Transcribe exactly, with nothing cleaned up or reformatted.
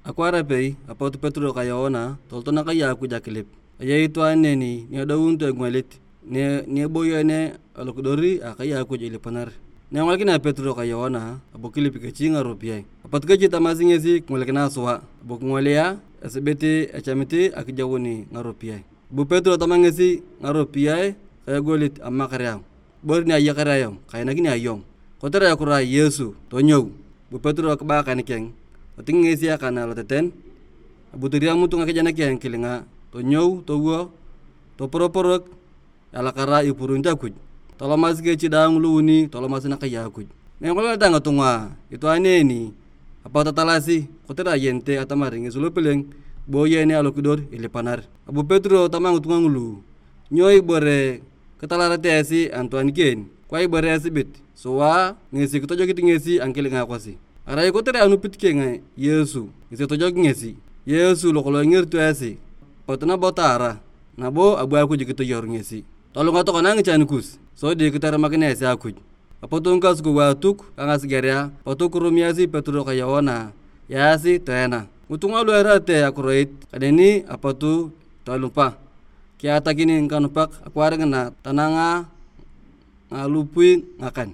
Akwaar apei, apot Petero ka Yoana toloto nakai a Akuj akilip. Ayei itwaan neni ni edounito engwalit, ni, ni eboyene alokidor a akai a Akuj ilipanar. Na engolikinea Petero ka Yoana, abu kilip kechi ngaropiyae. Apot kechi tamasi ngesi, "Kingolikinae sua." Abu kingolia, esibit echamit akijauni ngaropiyae. Abu Petero tama ngesi, "Ngaropiyae ka egolit amamakar ayong. Ibore ni ayakar ayong, kainakini ayong. Kotere ekiro a Yesu, tonyou." Abu Petero kiba akan keng, toting ngesi akan aloteten, abu toriamut ngakejen keng kilinga, tonyou, towo, toporoporok, elakara ipurunit Akuj. Tolomasi kechi daang luuni, tolomasi nakai a Akuj. Na engolikineta ngitunga itwaan neeni, apot tatalasi, kotere ayenete atamar ngesi lopeleng, iboyene alokidor ilipanar. Abu Petero tama ngitunga ngulu, "Nyo ibore kitalarete esi anitwaan keen? Kwa ibore esibit sua ngesi kitojokit ngesi a ngikilinga kosi? Arai kotere anupit keng Yesu, ngesi etojoki ngesi. Yesu lokolong ingerito esi, potu nabo taara, nabo abu Akuj kitoyor ngesi. Tolunga tokona ngichan kus, sodi kitaramakin esi Akuj." Apot ngikasukou a Atuk ka ngasigerea, apot kirumiasi Petero ka Yoana, yaasi toena. Ngitunga lu earete akiroit kaneni apot tolupa, kiatakin ngikanupak akwaar ngina tananga ngalupui ngakan.